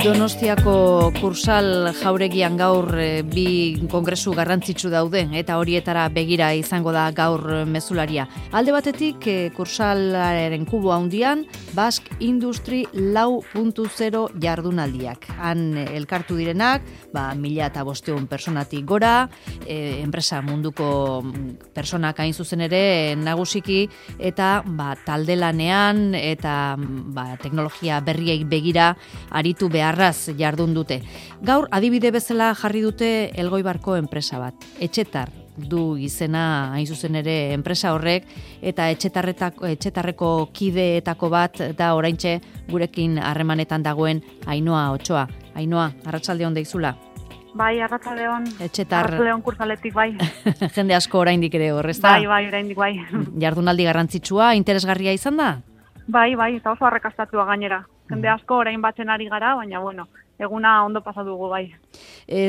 Donostiako Kursal jauregian gaur bi kongresu garrantzitsu daude eta horietara begira izango da gaur mezularia. Alde batetik Kursalaren kubo handian Basque Industry 4.0 jardunaldiak. Han elkartu direnak, 1.500 personatik gora, enpresa munduko personak hain zuzen ere nagusiki eta taldelanean eta teknologia berriei begira aritu beharraz jardun dute. Gaur adibide bezala jarri dute Elgoibarko enpresa bat. Etxetar du izena hain zuzen ere enpresa horrek eta etxetarreko kideetako bat da oraintxe gurekin harremanetan dagoen Ainhoa Otsoa. Ainhoa, arratsaldeon deizula. Bai, arratsaldeon. Etxetar. Arratsaldeon Kursaletik bai. Jende asko oraindik ere hor, ezta? Bai, oraindik bai. Jardunaldi garrantzitsua, interesgarria izan da? Bai, eta oso arrakastatua gainera. Jende asko orain batzen ari gara, baina eguna ondo pasa dugu bai.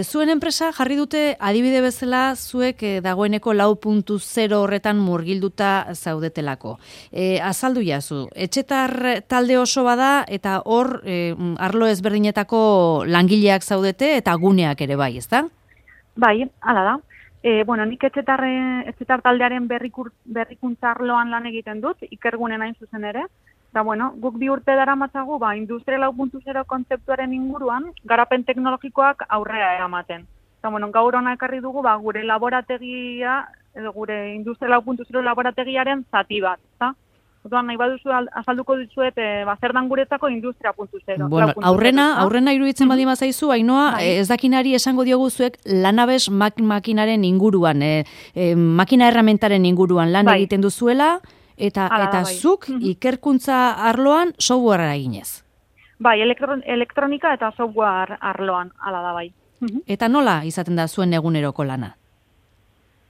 Zuen enpresa jarri dute adibide bezala zuek dagoeneko 4.0 horretan murgilduta zaudetelako. Azaldu jazu, Etxetar talde oso bada eta hor arlo ezberdinetako langileak zaudete eta guneak ere bai, ezta? Bai, hala da. Nik Etxetar taldearen berrikuntza arloan lan egiten dut, ikergunen hain zuzen ere. Eta guk 2 urte daramatzagu Industria 4.0 kontzeptuaren inguruan garapen teknologikoak aurrera eramaten. Eta gaur hona ekarri dugu gure laborategia, edo gure Industria 4.0 laborategiaren zati bat, ezta? Orduan nahi baduzu azalduko dizuet zer dan guretzako Industria 4.0. Aurrena iruditzen baldin bazaizu, Ainhoa, ez dakinari esango diogu zuek lanabes makinaren inguruan, makina erramentaren inguruan lan egiten duzuela, eta zuk ikerkuntza arloan softwarea eginez. Bai, elektronika eta software arloan, hala da bai. Eta nola izaten da zuen eguneroko lana?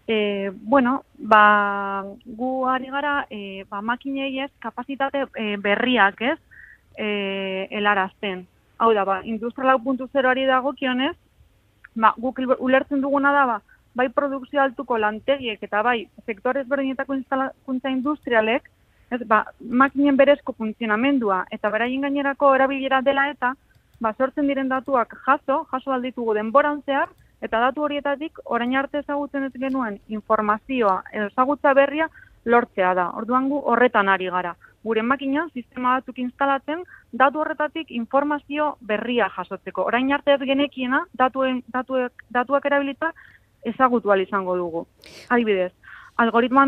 Gu ari gara makinei ez kapazitate berriak ez helarazten. Hau da, Industria 4.0ari dagokionez, guk ulertzen duguna da, bai produkzio altuko lantegiek eta bai sektore ezberdinetako instalakuntza industrialek, makinen berezko funtzionamendua eta beraien gainerako erabilera dela eta sortzen diren datuak jaso alditugu denboran zehar eta datu horietatik orain arte ezagutzen ez genuen informazioa edo ezagutza berria lortzea da. Orduan gu horretan ari gara. Gure makina sistema batzuk instalatzen datu horretatik informazio berria jasotzeko. Orain arte ez genekiena datuak erabilita ezagutu ahal izango dugu. Adibidez, algoritmo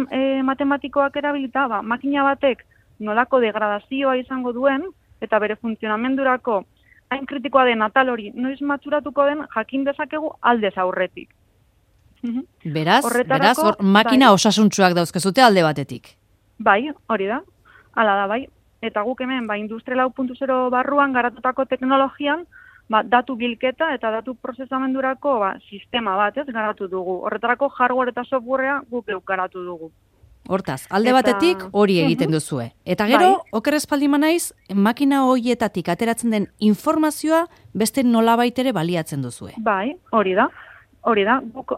matematikoak erabilita, makina batek nolako degradazioa izango duen eta bere funtzionamendurako hain kritikoa den atal hori noiz matxuratuko den jakin dezakegu aldez aurretik. Beraz, hor makina osasuntsuak dauzkezute alde batetik. Bai, hori da. Hala da, bai. Eta guk hemen, Industria 4.0 barruan garatutako teknologian, datu bilketa eta datu prozesamendurako sistema bat garatu dugu. Horretarako hardware eta softwarea guk garatu dugu. Hortaz, alde batetik hori egiten duzue. Eta gero, oker espaldima naiz, makina horietatik ateratzen den informazioa beste nolabait ere baliatzen duzue. Bai, hori da. Guk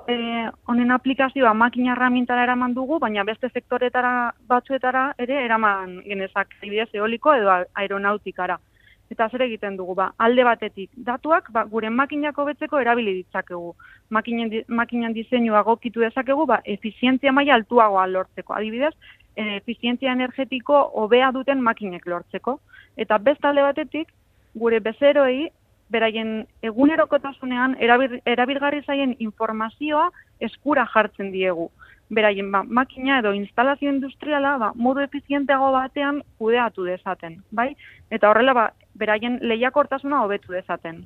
honen aplikazioa makina erramintara eraman dugu, baina beste sektoretara batzuetara ere eraman genezak, adibidez eoliko edo aeronautikara. Eta zer egiten dugu, alde batetik datuak gure makinak hobetzeko erabili ditzakegu. Makinan diseinua egokitu dezakegu, efizientzia maila altuagoa lortzeko. Adibidez, efizientzia energetiko hobea duten makinek lortzeko. Eta beste alde batetik, gure bezeroei, beraien egunerokotasunean erabilgarri zaien informazioa eskura jartzen diegu. Beraien makina edo instalazio industriala modu efizienteago batean kudeatu dezaten, bai? Eta horrela beraien lehiakortasuna hobetu dezaten.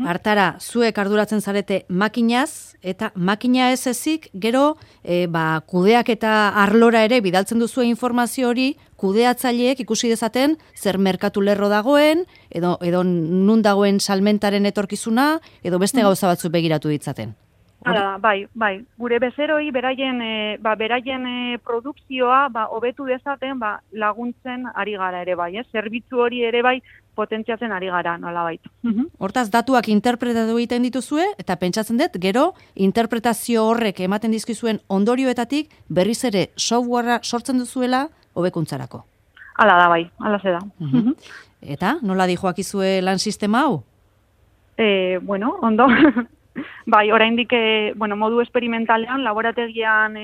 Hartara, zuek arduratzen zarete makinaz eta makina ez ezik gero kudeak eta arlora ere bidaltzen duzue informazio hori kudeatzaileek ikusi dezaten zer merkatu lerro dagoen edo nun dagoen salmentaren etorkizuna edo beste gauza batzuk begiratu ditzaten. Hala, bai. Gure bezeroi beraien produkzioa hobetu dezaten laguntzen ari gara ere bai, zerbitzu hori ere bai potentziatzen ari gara nolabait. Hortaz datuak interpretatu egiten dituzue eta pentsatzen dut gero interpretazio horrek ematen dizkizuen ondorioetatik berriz ere softwarea sortzen duzuela hobekuntzarako. Hala da bai, hala ze da. Eta nola dijoakizue lan sistema hau? Bueno, ondo. Bai, oraindik modu esperimentalean, laborategian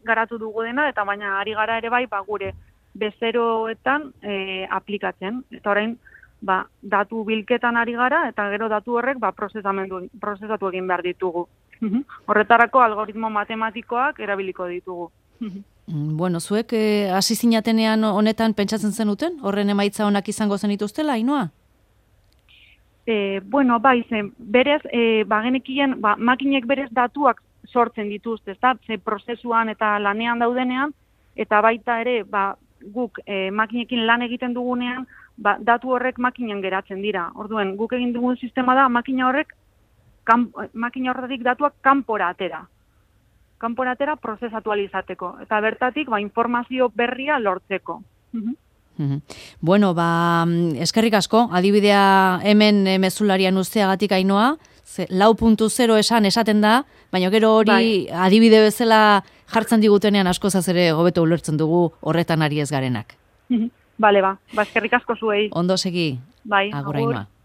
garatu dugu dena, eta baina ari gara ere bai, gure bezeroetan aplikatzen. Eta orain, datu bilketan ari gara, eta gero datu horrek prozesatu egin behar ditugu. Horretarako algoritmo matematikoak erabiliko ditugu. Bueno, zuek hasi zinatenean honetan pentsatzen zenuten? Horren emaitza onak izango zenituztela, Ainhoa? Bai, berez, genekien, makinek berez datuak sortzen dituzte, ezta? Prozesuan eta lanean daudenean, eta baita ere, guk makinekin lan egiten dugunean, datu horrek makinen geratzen dira. Orduen, guk egin dugun sistema da, makina horretik datuak kanpora atera. Kanpora atera prozesatu alizateko. Eta bertatik, informazio berria lortzeko. Bueno, eskerrik asko, adibidea hemen mezularian usteagatik Ainhoa, 4.0 esaten da, baina gero hori adibide bezala jartzen digutenean askozaz ere hobeto ulertzen dugu horretan ari ez garenak. Bale, eskerrik asko zuei. Ondo segi. Bai, agur Ainhoa.